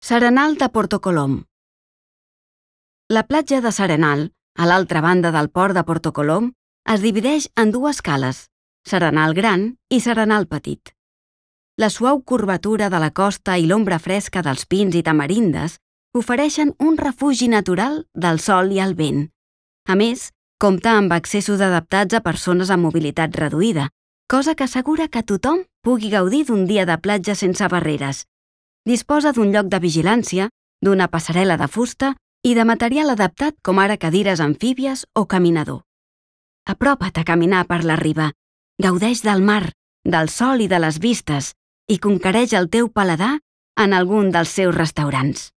S'Arenal de Porto Colom. La platja de s'Arenal, a l'altra banda del port de Porto Colom, es divideix en dues cales, s'Arenal Gran i s'Arenal Petit. La suau curvatura de la costa i l'ombra fresca dels pins i tamarindes ofereixen un refugi natural del sol i el vent. A més, compta amb accessos adaptats a persones amb mobilitat reduïda, cosa que assegura que tothom pugui gaudir d'un dia de platja sense barreres. Disposa d'un lloc de vigilància, d'una passarel·la de fusta i de material adaptat com ara cadires amfíbies o caminador. Apropa't a caminar per la riba, gaudeix del mar, del sol i de les vistes i conquereix el teu paladar en algun dels seus restaurants.